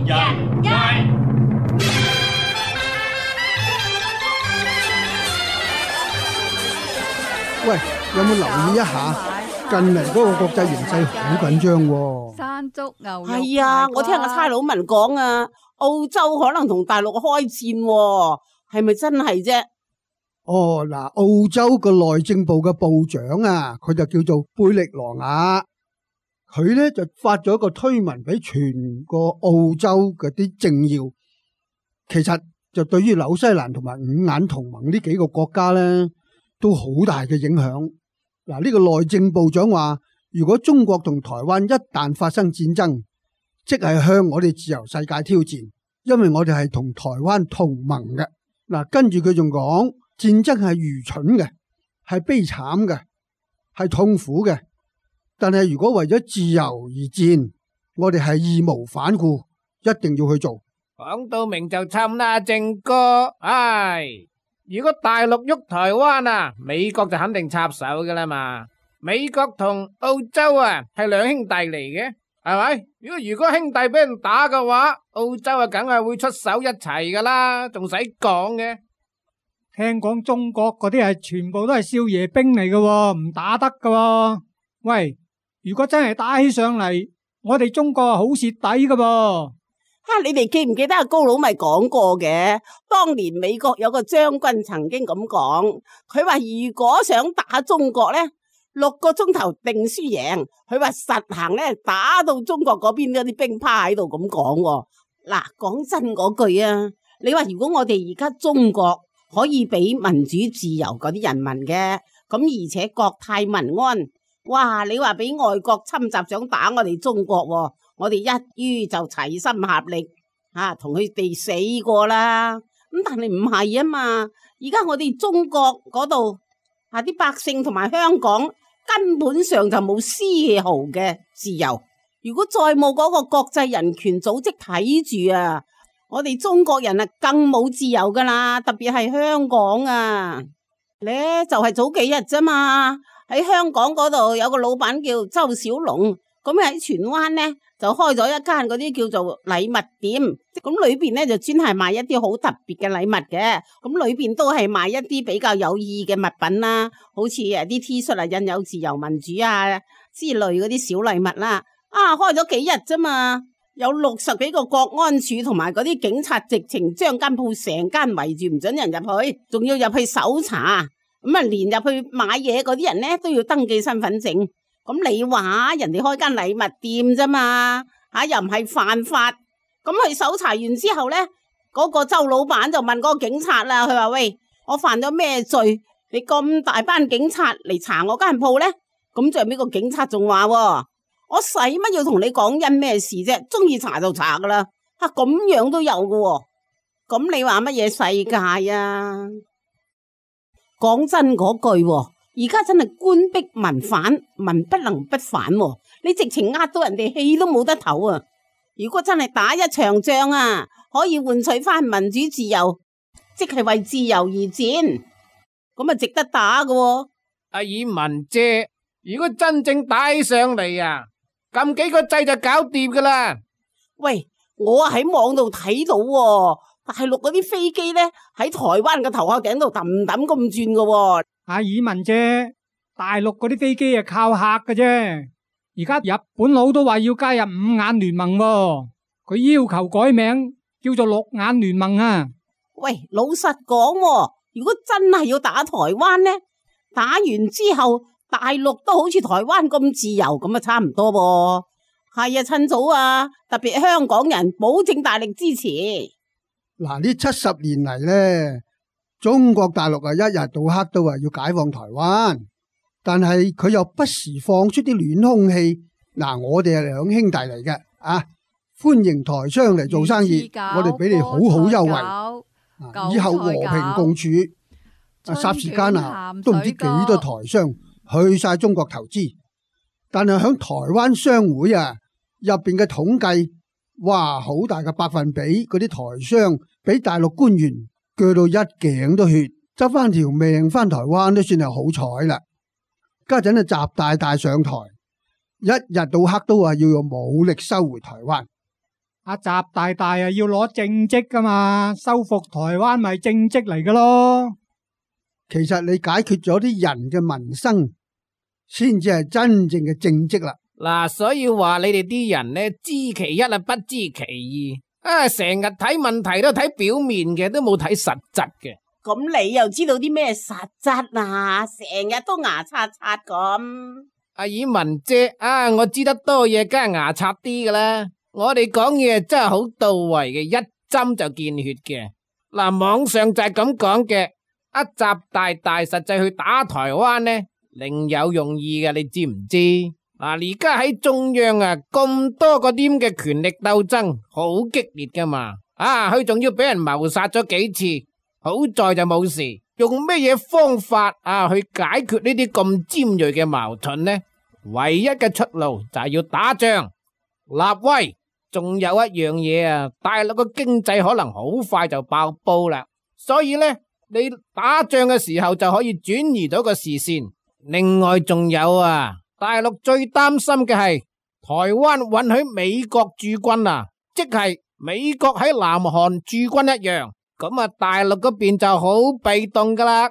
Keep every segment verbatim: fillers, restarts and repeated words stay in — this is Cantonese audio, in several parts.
日日。喂，有冇留意一下？近嚟嗰個國際形勢好緊張喎。山竹牛肉係啊，我聽個差佬文講啊，澳洲可能同大陸開戰喎，係咪真係啫？哦，嗱，澳洲個內政部嘅部長啊，佢就叫做貝力羅亞，佢咧就發咗一個推文俾全個澳洲嗰啲政要，其實就對於紐西蘭同埋五眼同盟呢幾個國家咧，都好大嘅影響。嗱，呢個內政部長話，如果中國同台灣一旦發生戰爭，即係向我哋自由世界挑戰，因為我哋係同台灣同盟嘅。嗱，跟住佢仲講，戰爭係愚蠢嘅，係悲慘嘅，係痛苦嘅。但係如果為咗自由而戰，我哋係義無反顧，一定要去做。講到明就侵啦，正哥，唉。如果大陸喐台灣啊，美國就肯定插手噶啦嘛。美國同澳洲啊係兩兄弟嚟嘅，係咪？如果如果兄弟俾人打嘅話，澳洲啊梗係會出手一齊噶啦，仲使講嘅？聽講中國嗰啲係全部都係少爺兵嚟嘅，唔打得嘅。喂，如果真係打起上嚟，我哋中國係好蝕底嘅噃。哈、啊！你哋記唔記得阿高佬咪講過嘅？當年美國有個將軍曾經咁講，佢話如果想打中國咧，六個鐘頭定輸贏。佢話實行咧，打到中國嗰邊嗰啲兵趴喺度咁講。嗱，講真嗰句啊，你話如果我哋而家中國可以俾民主自由嗰啲人民嘅，咁而且國泰民安，哇！你話俾外國侵襲想打我哋中國，我哋一於就齊心合力吓，同佢哋死過啦。咁但係唔係啊嘛？而家我哋中國嗰度啊，啲百姓同埋香港根本上就冇絲毫嘅自由。如果再冇嗰個國際人權組織睇住啊，我哋中國人啊更冇自由噶啦。特別係香港啊，咧就係早幾日啫嘛，喺香港嗰度有個老闆叫周小龍，咁喺荃灣咧就開咗一間嗰啲叫做禮物店，咁裏邊咧就專係賣一啲好特別嘅禮物嘅，咁裏邊都係賣一啲比較有意義嘅物品啦，好似誒啲 T 恤啊印有自由民主啊之類嗰啲小禮物啦。啊，開咗幾日啫嘛，有六十幾個國安處同埋嗰啲警察直情將間鋪成間圍住唔准人入去，仲要入去搜查，咁啊連入去買嘢嗰啲人咧都要登記身份證。咁你話人哋開間禮物店啫嘛，吓又唔係犯法。咁去搜查完之後咧，嗰個周老闆就問嗰個警察啦，佢話喂，我犯咗咩罪？你咁大班警察嚟查我間鋪咧？咁最後尾個警察仲話，我使乜要同你講因咩事啫？中意查就查噶啦。吓，咁樣都有噶。咁你話乜嘢世界啊？講真嗰句，而家真係官逼民反，民不能不反喎。你直情呃到人哋氣都冇得唞啊！如果真係打一場仗啊，可以換取翻民主自由，即係為自由而戰，咁啊值得打㗎喎。阿爾文姐，如果真正打起上嚟啊，撳幾個掣就搞掂噶啦。喂，我喺網度睇到喎，大陸嗰啲飛機咧喺台灣嘅頭殼頂度揼揼咁轉㗎喎。阿爾文姐，大陸嗰啲飛機係靠客嘅啫。而家日本佬都話要加入五眼聯盟喎，佢要求改名叫做六眼聯盟啊。喂，老實講喎，如果真係要打台灣呢，打完之後大陸都好似台灣咁自由，咁啊差唔多噃。係啊，趁早啊，特別香港人保證大力支持。嗱，呢七十年嚟呢，中國大陸啊一日到黑都話要解放台灣，但係佢又不時放出啲暖空氣。嗱，我哋係兩兄弟嚟嘅啊，歡迎台商嚟做生意，我哋俾你好好優惠，啊，以後和平共處。啊，霎時間啊，都唔知幾多台商去晒中國投資，但係響台灣商會啊入邊嘅統計，哇，好大嘅百分比，嗰啲台商俾大陸官員鋸到一頸都血，執翻條命翻台灣都算係好彩啦。家陣啊，習大大上台，一日到黑都話要用武力收回台灣。阿習大大啊要攞政績噶嘛，收復台灣咪政績嚟噶咯。其實你解決咗啲人嘅民生，先至係真正嘅政績啦。嗱，所以話你哋啲人呢，知其一啊，不知其二啊，成日睇問題都睇表面嘅，都冇睇實質嘅。咁你又知道啲咩實質啊？成日都牙刷刷咁。阿爾文姐啊，我知得多嘢，梗係牙刷啲噶啦。我哋講嘢真係好到位嘅，一針就見血嘅。嗱，網上就係咁講嘅。阿習大大實際去打台灣呢，另有用意嘅，你知唔知？嗱，而家喺中央啊，咁多嗰啲嘅權力鬥爭，好激烈噶嘛。啊，佢仲要俾人謀殺咗幾次，好在就冇事。用咩嘢方法啊去解決呢啲咁尖銳嘅矛盾呢？唯一嘅出路就係要打仗立威。仲有一樣嘢啊，大陸嘅經濟可能好快就爆煲啦，所以呢，你打仗嘅時候就可以轉移到個視線。另外仲有啊，大陸最擔心嘅係台灣允許美國駐軍啊，即係美國喺南韓駐軍一樣，咁啊大陸嗰邊就好被動噶啦。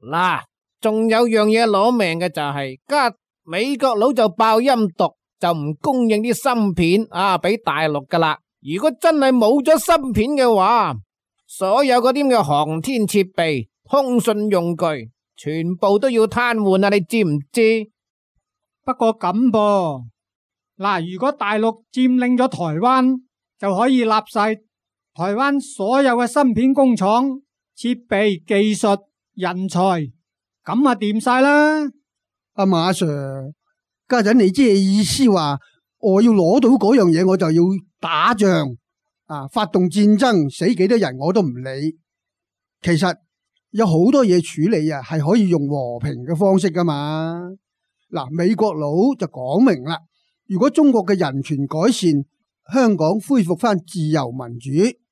嗱，仲有樣嘢攞命嘅就係，家美國佬就爆陰毒，就唔供應啲芯片啊俾大陸噶啦。如果真係冇咗芯片嘅話，所有嗰啲嘅航天設備、通訊用具，全部都要癱瘓啊！你知唔知？不過咁噃，嗱，如果大陸佔領咗台灣，就可以立晒台灣所有嘅芯片工廠、設備、技術、人才，咁啊掂晒啦。阿馬 Sir，家陣你即係意思話，我要攞到嗰樣嘢，我就要打仗啊，發動戰爭，死幾多人我都唔理。其實有好多嘢處理啊，係可以用和平嘅方式噶嘛。嗱，美國佬就講明啦，如果中國嘅人權改善，香港恢復翻自由民主，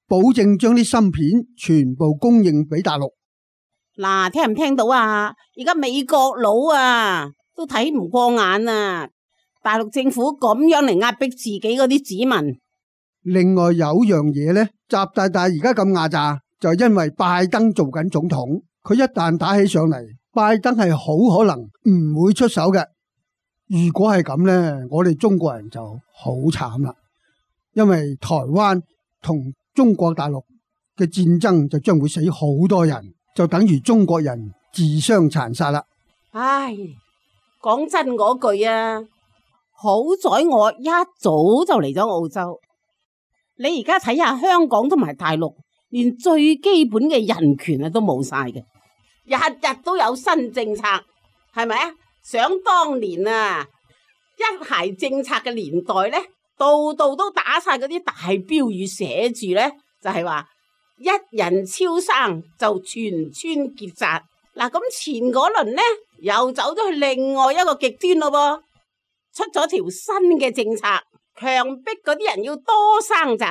保證將啲芯片全部供應俾大陸。嗱，聽唔聽到啊？而家美國佬啊都睇唔過眼啊！大陸政府咁樣嚟壓迫自己嗰啲子民。另外有樣嘢呢，習大大而家咁壓榨，就係因為拜登做緊總統，佢一旦打起上嚟，拜登係好可能唔會出手嘅。如果係咁呢，我哋中國人就好慘啦，因為台灣同中國大陸嘅戰爭就將會死好多人，就等於中國人自相殘殺啦。唉，講真嗰句啊，好在我一早就嚟咗澳洲。你而家睇下香港同埋大陸，連最基本嘅人權啊都冇晒嘅，日日都有新政策，係咪啊？想當年啊，一孩政策嘅年代呢，度度都打晒嗰啲大標語，寫住呢，就係話一人超生就全村結紮。嗱，咁前嗰輪呢，又走咗去另外一個極端咯噃，出咗條新嘅政策，強迫嗰啲人要多生仔，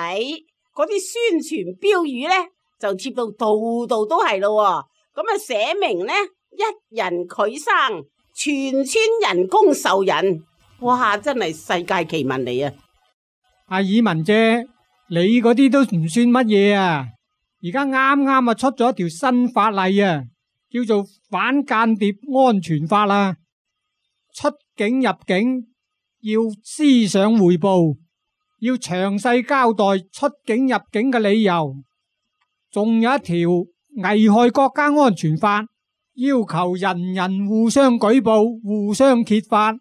嗰啲宣傳標語呢，就貼到度度都係咯。咁啊寫明呢，一人佢生，全村人工受孕。哇，真係世界奇聞嚟啊！阿爾文姐，你嗰啲都唔算乜嘢啊！而家啱啱啊出咗一條新法例啊，叫做反間諜安全法啦。出境入境要思想匯報，要詳細交代出境入境嘅理由。仲有一條危害國家安全法，要求人人互相舉報，互相揭發。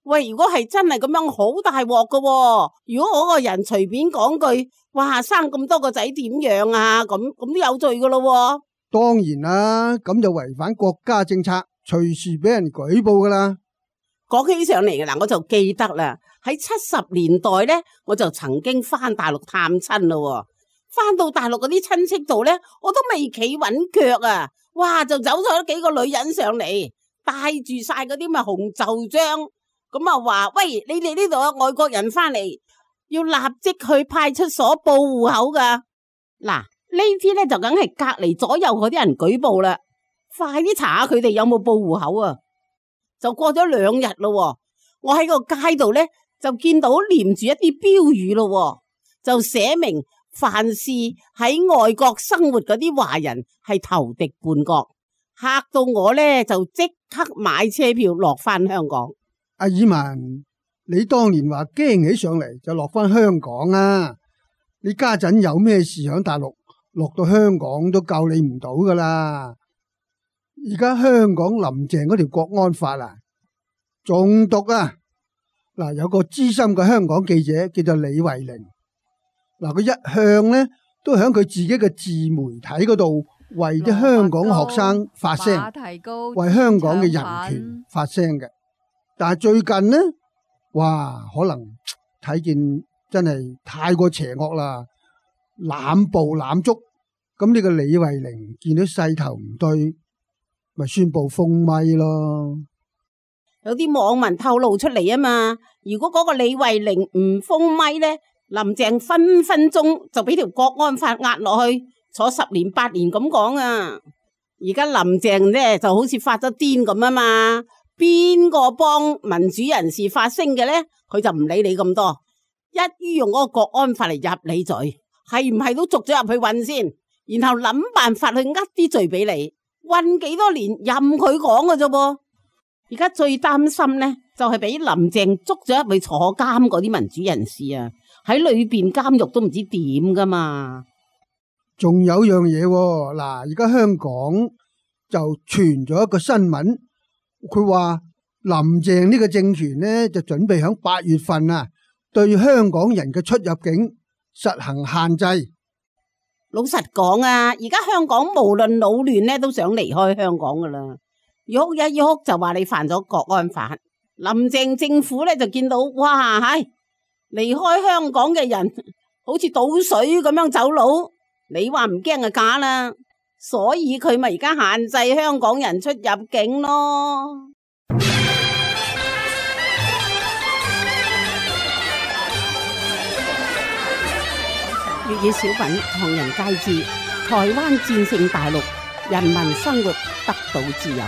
喂，如果係真係咁樣，好大鑊噶喎！如果我個人隨便講句，哇，生咁多個仔點樣啊？咁咁都有罪噶咯。當然啦，咁就違反國家政策，隨時俾人舉報噶啦。講起上嚟嘅嗱，我就記得啦，喺七十年代咧，我就曾經翻大陸探親咯。翻到大陸嗰啲親戚度咧，我都未企穩腳啊！哇，就走咗幾個女人上嚟，帶住晒嗰啲咪紅袖章。咁啊話，喂，你哋呢度有外國人翻嚟，要立即去派出所報戶口噶。嗱，呢啲咧就梗係隔籬左右嗰啲人舉報啦，快啲查下佢哋有冇報戶口啊！就過咗兩日咯，我喺個街度咧就見到黏住一啲標語咯，就寫明凡是喺外國生活嗰啲華人係投敵叛國，嚇到我呢，就即刻買車票落翻香港。阿爾文，你當年話驚起上嚟就落翻香港啊！你家陣有咩事響大陸，落到香港都救你唔到噶啦！而家香港林鄭嗰條國安法啊，中毒啊！嗱，有個資深嘅香港記者叫做李慧玲，嗱，佢一向呢都響佢自己嘅自媒體嗰度為啲香港學生發聲，為香港嘅人權發聲嘅。但係最近呢，哇，可能睇見真係太過邪惡啦，濫捕濫捉。咁呢個李慧玲見到勢頭唔對，咪宣布封咪咯。有啲網民透露出嚟啊嘛，如果嗰個李慧玲唔封咪呢，林鄭分分鐘就俾條國安法壓落去，坐十年八年咁講啊。而家林鄭呢就好似發咗癲咁啊嘛，邊個幫民主人士發聲嘅呢？佢就唔理你咁多，一於用嗰個國安法嚟入你罪，係唔係都捉咗入去韞先，然後諗辦法去呃啲罪俾你，韞幾多年任佢講㗎啫噃。而家最擔心呢，就係俾林鄭捉咗入去坐監嗰啲民主人士啊，喺裏邊監獄都唔知點噶嘛。仲有樣嘢喎，嗱，而家香港就傳咗一個新聞，佢話林鄭呢個政權呢，就準備響八月份啊，對香港人嘅出入境實行限制。老實講啊，而家香港無論老亂呢，都想離開香港噶啦。喐一喐就話你犯咗國安法，林鄭政府咧就見到哇，係離開香港嘅人好似倒水咁樣走佬，你話唔驚就假啦，所以佢咪而家限制香港人出入境咯。粵語小品唐人街知，台灣戰勝大陸，人民生活得到自由。